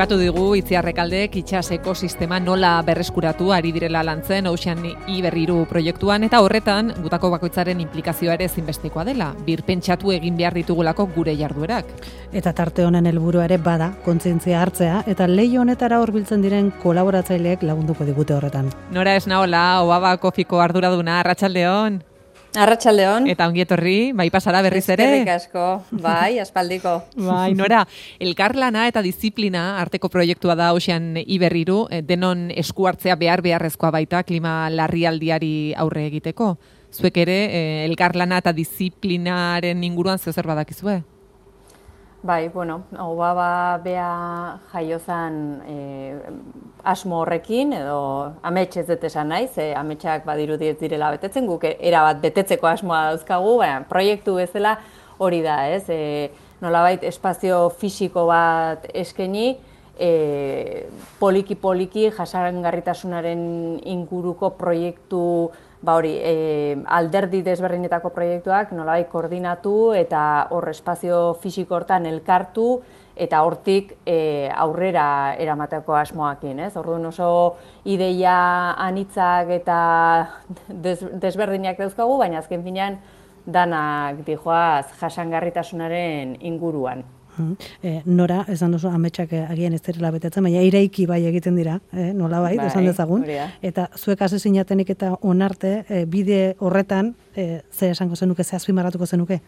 Aipatu digu Itziarrekaldek itsas ekosistema nola berreskuratu ari direla lantzen Ocean Iberriru proiektuan, eta horretan gutako bakoitzaren inplikazioa ere ezinbestekoa dela, birpentsatu egin behar ditugulako gure jarduerak. Eta tarte honen helburua ere bada kontzientzia hartzea, eta leiho honetara hurbiltzen diren kolaboratzaileek lagunduko digute horretan. Nora Esnaola, Obaba Kofiko arduraduna, arratsaldeon. Arratsaldeon. Eta ongi etorri, bai pasara berriz ere. Eskerrik asko, bai, aspaldiko. Bai, Nora, elkarlana eta disiplina arteko proiektua da Ocean Iberriru, denon esku hartzea beharrezkoa baita klima larrialdiari aurre egiteko. Zuek ere, elkarlana eta disiplinaren inguruan zer badakizue? Bai, bueno, Obaba bea jaiozan asmo horrekin, edo amets ez dut esan naiz, ametsak badirudi ez direla betetzen, guk erabat betetzeko asmoa dauzkagu, baina proiektu bezala hori da, ez? Nolabait espazio fisiko bat eskaini, poliki jasangarritasunaren inguruko proiektu, alderdi desberdinetako proiektuak nolabait koordinatu eta hor espazio fisiko hortan elkartu eta hortik aurrera eramateko asmoakin, ez? Orduan oso ideia anitzak eta desberdinak dauzkagu, baina azken finean danak dijoaz jasangarritasunaren inguruan. Nora, esan duzu ametsak agian ez direla betetzen, baina iraiki bai egiten dira, nolabait, esan dezagun. Eta zuek hasi zinatenik eta onarte, bide horretan, ze esango zenuke, ze azpimarratuko zenuke?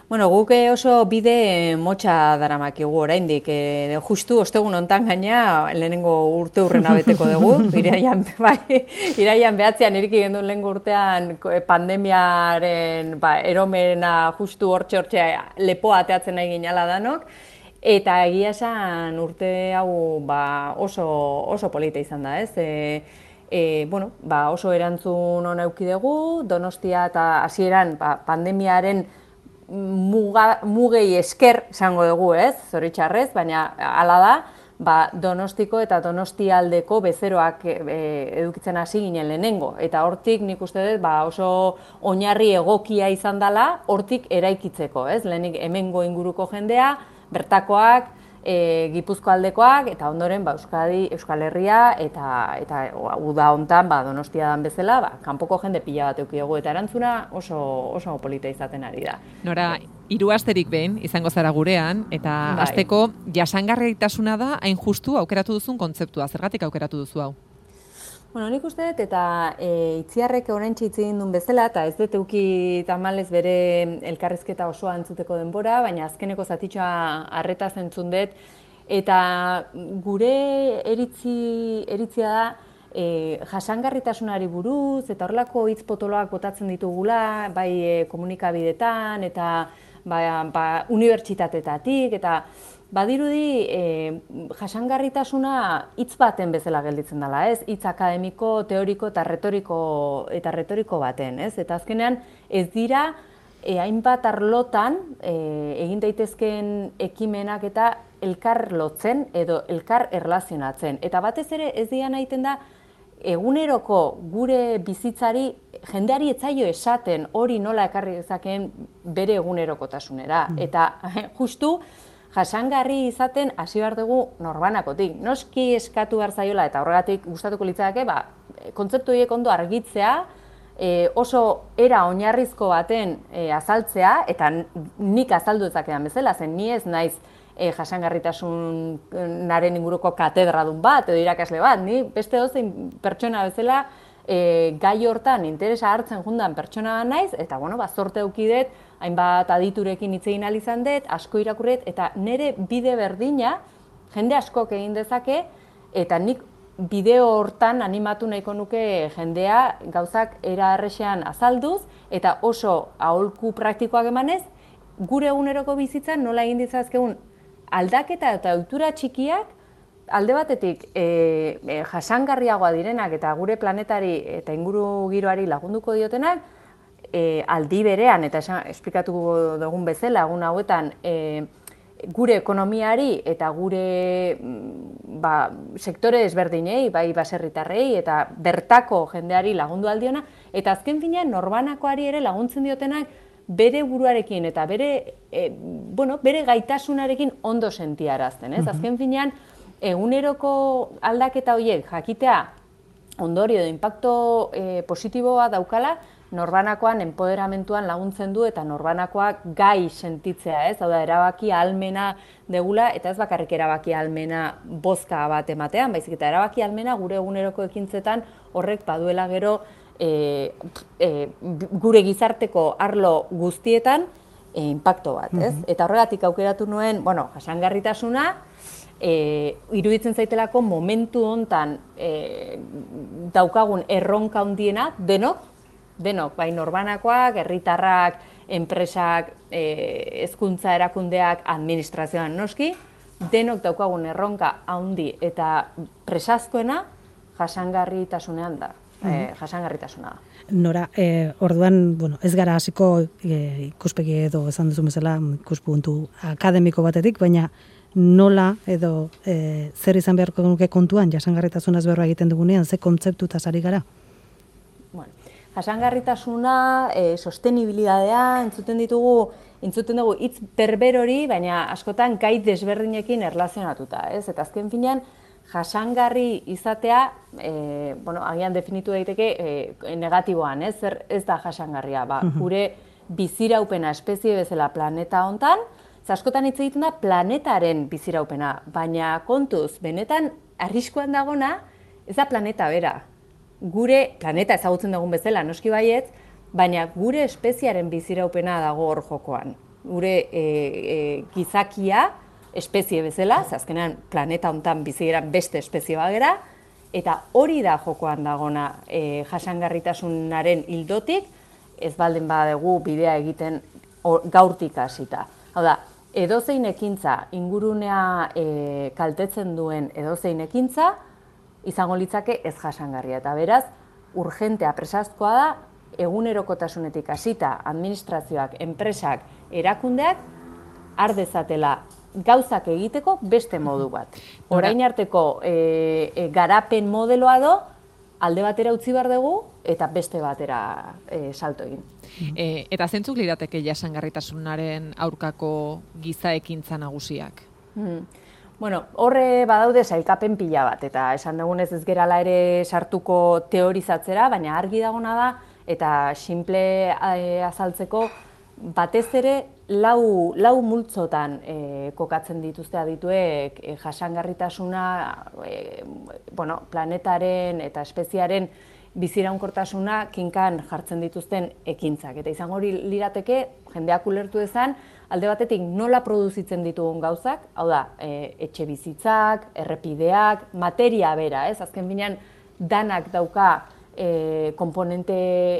Bueno, guk oso bide motxa daramakigu oraindik, justu ostegun hontan gaina lehenengo urte hurrena beteko dugu, iraian 9 iriki genduen lehengo urtean pandemiaren eromena justu hortxe lepoa ateatzen nahi ginala danok, eta egia esan urte hau oso polita izan da, ez? Oso erantzun ona eduki dugu, Donostia eta hasieran pandemiaren mugei esker esango dugu, ez? Zoritxarrez, baina hala da, Donostiko eta Donostialdeko bezeroak edukitzen hasi ginen lehenengo. Eta hortik nik uste dut oso oinarri egokia izan dela hortik eraikitzeko, ez? Lehenik hemengo inguruko jendea, bertakoak, Gipuzko aldekoak, eta ondoren Euskadi, Euskal Herria, eta uda hontan Donostia dan bezala, kanpoko jende pila bat eduki dugu, eta erantzuna oso polita izaten ari da. Nora, 3 asterik behin izango zara gurean, eta hasteko jasangarritasuna da hain justu aukeratu duzun kontzeptua. Zergatik aukeratu duzu hau? Bueno, nik uste dut, eta Itziarrek oraintxe hitz egin duen bezala, eta ez dut eduki tamalez bere elkarrizketa osoa entzuteko denbora, baina azkeneko zatitxoa arretaz entzun dut, eta gure eritzia da jasangarritasunari buruz, eta horrelako hitz potoloak botatzen ditugula, bai komunikabidetan, eta unibertsitateetatik, eta badirudi jasangarritasuna hitz baten bezala gelditzen dela, ez? Hitz akademiko, teoriko eta retoriko baten, ez? Eta azkenean ez dira hainbat arlotan egin daitezkeen ekimenak eta elkar lotzen edo elkar erlazionatzen. Eta batez ere ez dira nahiten da eguneroko gure bizitzari jendeari etzaio esaten hori nola ekarri dezakeen bere egunerokotasunera. Eta justu jasangarri izaten hasi behar dugu norbanakotik. Noski eskatu behar zaiola eta horregatik gustatuko litzateke, kontzeptu horiek ondo argitzea, oso era oinarrizko baten azaltzea, eta nik azaldu dezakedan bezala, zen ni ez naiz jasangarritasunaren inguruko katedradun bat, edo irakasle bat, ni beste dozein pertsona bezala gai hortan interesa hartzen jundan pertsona naiz, eta zorte eukidet, hainbat aditurekin hitz egin ahal izan dut, asko irakurret, eta nire bide berdina jende askok egin dezake, eta nik bideo hortan animatu nahiko nuke jendea gauzak era erresean azalduz, eta oso aholku praktikoak emanez, gure eguneroko bizitzan nola egin ditzazkegun aldaketa eta ohitura txikiak, alde batetik jasangarriagoa direnak eta gure planetari eta inguru giroari lagunduko diotenak, aldi berean, eta esplikatu dugun bezala, egun hauetan, gure ekonomiari eta gure sektore desberdinei, bai baserritarrei eta bertako jendeari lagundu aldiona, eta azken finean norbanakoari ere laguntzen diotenak bere buruarekin eta bere gaitasunarekin ondo sentiarazten, ez? Azken finean, eguneroko aldaketa horiek jakitea ondorio edo impacto positiboa daukala, norbanakoan enpoderamentuan laguntzen du eta norbanakoak gai sentitzea, ez? Hau da, erabaki ahalmena degula, eta ez bakarrik erabaki ahalmena bozka bat ematean, baizik eta erabaki ahalmena gure eguneroko ekintzetan horrek baduela gero gure gizarteko arlo guztietan impacto bat, ez? Eta horregatik aukeratu nuen, jasangarritasuna, iruditzen zaitelako momentu hontan daukagun erronka handiena, denok, bai norbanakoak, herritarrak, enpresak, hezkuntza erakundeak, administrazioan noski, denok daukagun erronka handi eta presazkoena jasangarritasunean da. Jasangarritasuna da. Nora, orduan, ez gara hasiko ikuspegi edo esan duzu bezala ikuspuntu akademiko batetik, baina nola edo zer izan beharko nuke kontuan jasangarritasunaz berba egiten dugunean, ze kontzeptutaz ari gara? Jasangarritasuna, sostenibilidadea, entzuten dugu hitz berber hori, baina askotan gai desberdinekin erlazionatuta, ez? Eta azken finean, jasangarri izatea, agian definitu daiteke negatiboan, ez? Ez da jasangarria, gure biziraupena espezie bezala planeta hontan, askotan hitz egiten da planetaren biziraupena, baina kontuz, benetan arriskuan dagona, ez da planeta bera. Gure planeta ezagutzen dugun bezala, noski baietz, baina gure espeziaren biziraupena dago hor jokoan. Gure gizakia, espezie bezala, azkenean planeta hontan bizigeran beste espezie bagera, eta hori da jokoan dagona jasangarritasunaren ildotik, ez baldin badugu bidea egiten gaurtik hasita. Hau da, edozein ekintza, ingurunea kaltetzen duen edozein ekintza, izango litzake ez jasangarria. Eta beraz, urgentea presazkoa da, egunerokotasunetik hasita administrazioak, enpresak, erakundeak, ardezatela gauzak egiteko beste modu bat. Orain arteko garapen modeloa do, alde batera utzi behar dugu, eta beste batera salto egin. Eta zentzuk lirateke jasangarritasunaren aurkako giza ekintza nagusiak? Horre badaude sailkapen pila bat, eta esan dugunez ez gerala ere sartuko teorizatzera, baina argi dagona da, eta simple azaltzeko, batez ere lau multzotan kokatzen dituzte adituek jasangarritasuna planetaren eta espeziaren biziraunkortasuna kinkan jartzen dituzten ekintzak. Eta izango hori lirateke, jendeak ulertu dezan, alde batetik nola produzitzen ditugun gauzak, hau da, etxe bizitzak, errepideak, materia bera, ez? Azken binean, danak dauka komponente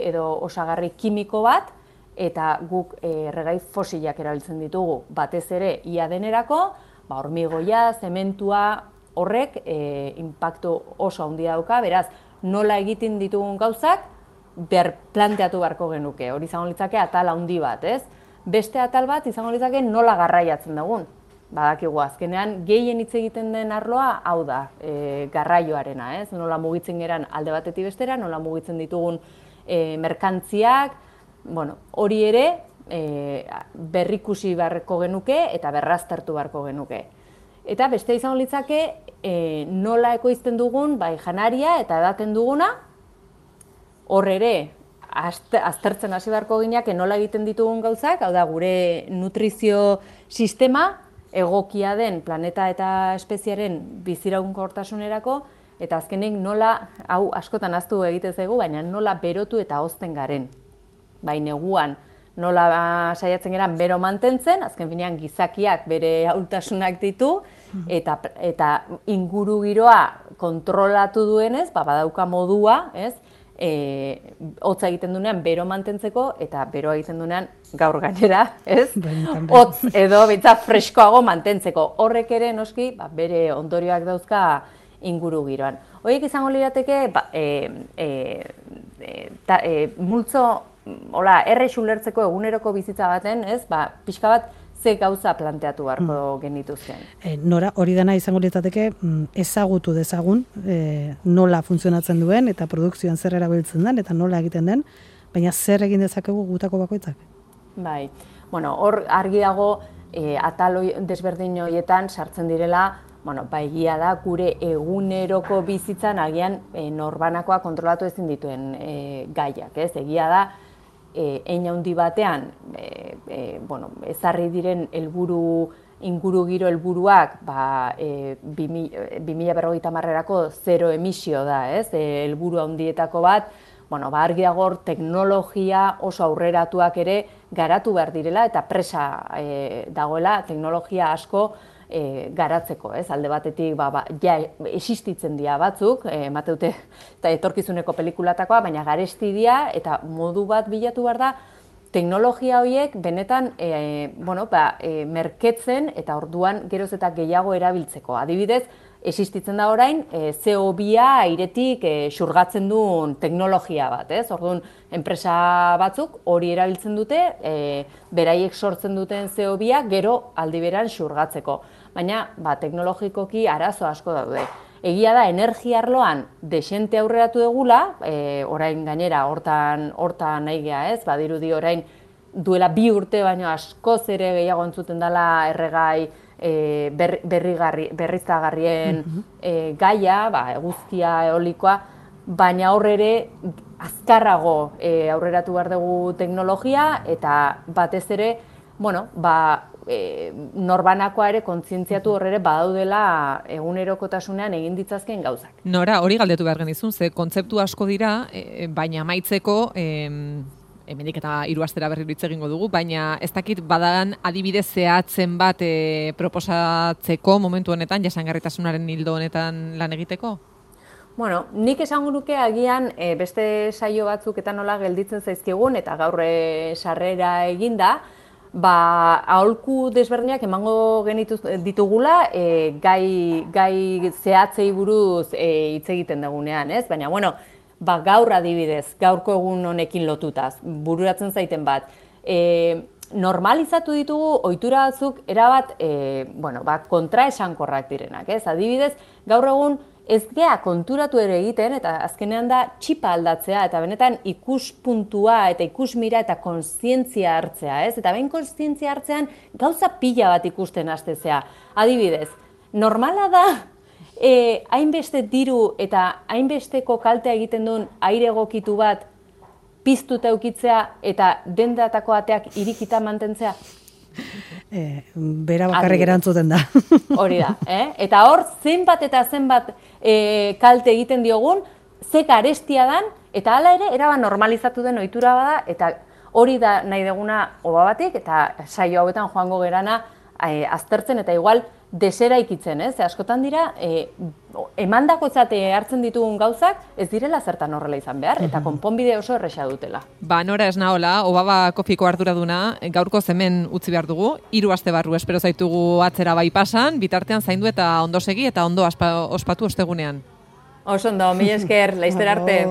edo osagarri kimiko bat, eta guk erregai fosilak erabiltzen ditugu batez ere ia denerako, hormigoia, zementua, horrek inpaktu oso handia dauka, beraz, nola egiten ditugun gauzak, planteatu beharko genuke. Hori izango litzake atal handi bat, ez? Beste atal bat izango litzake nola garraiatzen dugun. Badakigu azkenean gehien hitz egiten den arloa hau da, garraioarena, ez? Nola mugitzen geran alde batetik bestera, nola mugitzen ditugun merkantziak, hori ere berrikusi beharko genuke eta berraztertu beharko genuke. Eta beste izango litzake nola ekoizten dugun janaria eta edaten duguna, hor ere aztertzen hasi beharko gineak nola egiten ditugun gauzak, hau da gure nutrizio sistema egokia den planeta eta espeziaren biziraunkortasunerako, eta azkenik nola, hau askotan ahaztu egiten zaigu, baina nola berotu eta hozten garen. Bai neguan nola saiatzen geran bero mantentzen, azken finean gizakiak bere ahultasunak ditu, eta inguru giroa kontrolatu duenez, badauka modua, ez? Hotza egiten duenean bero mantentzeko, eta beroa egiten duenean gaur gainera, ez? Hotz edo bitza freskoago mantentzeko. Horrek ere noski bere ondorioak dauzka inguru giroan. Horiek izango lirateke multzo errex ulertzeko eguneroko bizitza baten, ez? Pixka bat ze gauza planteatu beharko genituzken. Nora, hori dena izango lirateke ezagutu dezagun nola funtzionatzen duen eta produkzioan zer erabiltzen den eta nola egiten den, baina zer egin dezakegu gutako bakoitzak? Bai, bueno, hor argi dago atal desberdin horietan sartzen direla, bueno, egia da gure eguneroko bizitzan agian norbanakoa kontrolatu ezin dituen gaiak, ez? Egia da, hein handi batean, bueno, ezarri diren ingurugiro helburuak, 2050erako zero emisio da, ez? Helburu handietako bat, bueno, argi dago teknologia oso aurreratuak ere garatu behar direla eta presa dagoela teknologia asko garatzeko, ez? Alde batetik ja existitzen dira batzuk, emateute eta etorkizuneko pelikulatakoa, baina garesti dira eta modu bat bilatu behar da teknologia horiek benetan merketzen eta orduan geroz eta gehiago erabiltzeko. Adibidez, existitzen da orain CO2a airetik xurgatzen duen teknologia bat, ez? Orduan, enpresa batzuk hori erabiltzen dute, beraiek sortzen duten CO2a gero aldi beran xurgatzeko. Baina, teknologikoki arazo asko daude. Egia da, energia arloan desente aurreratu degula, orain gainera hortan nahi geha, ez? Badirudi orain duela 2 urte baino askoz ere gehiago entzuten dela erregai berriztagarrien gaia, eguzkia, eolikoa, baina hor ere azkarrago aurreratu behar dugu teknologia eta batez ere, norbanakoa ere kontzientziatu horre badaudela egunerokotasunean egin ditzazken gauzak. Nora, hori galdetu behar genizun, ze kontzeptu asko dira, baina amaitzeko, hemendik eta 3 astera berriro hitz egingo dugu, baina ez dakit badagan adibidez zehatzen bat proposatzeko momentu honetan, jasangarritasunaren hildo honetan lan egiteko? Bueno, nik esango nuke agian beste saio batzuk eta nola gelditzen zaizkigun eta gaur sarrera eginda, aholku desberdinak emango genitu ditugula gai zehatzei buruz hitz egiten dugunean, ez? Baina, gaur adibidez, gaurko egun honekin lotutaz, bururatzen zaiten bat, normalizatu ditugu ohitura batzuk erabat kontraesankorrak direnak, ez? Adibidez, gaur egun ez gea konturatu ere egiten, eta azkenean da txipa aldatzea, eta benetan ikuspuntua eta ikusmira eta kontzientzia hartzea, ez? Eta behin kontzientzia hartzean gauza pila bat ikusten hastezea. Adibidez, normala da hainbeste diru eta hainbesteko kaltea egiten duen aire egokitu bat piztuta eukitzea eta dendatako ateak irikita mantentzea? Bera bakarrik erantzuten da. Hori da, Eta hor, zenbat eta zenbat kalte egiten diogun, ze garestia dan, eta hala ere, erabat normalizatu den ohitura bada, eta hori da nahi deguna oba batik, eta saio hauetan joango gerana aztertzen, eta igual deseraikitzen, ez? Askotan dira, emandakotzat hartzen ditugun gauzak, ez direla zertan horrela izan behar, eta konponbide oso erresa dutela. Nora ez nahola, Obaba Kofiko arduraduna, gaurko hemen utzi behar dugu, 3 aste barru espero zaitugu atzera bai pasan, bitartean zaindu eta ondo segi eta ondo ospatu ostegunean. Oso ondo, mila esker, laizter arte.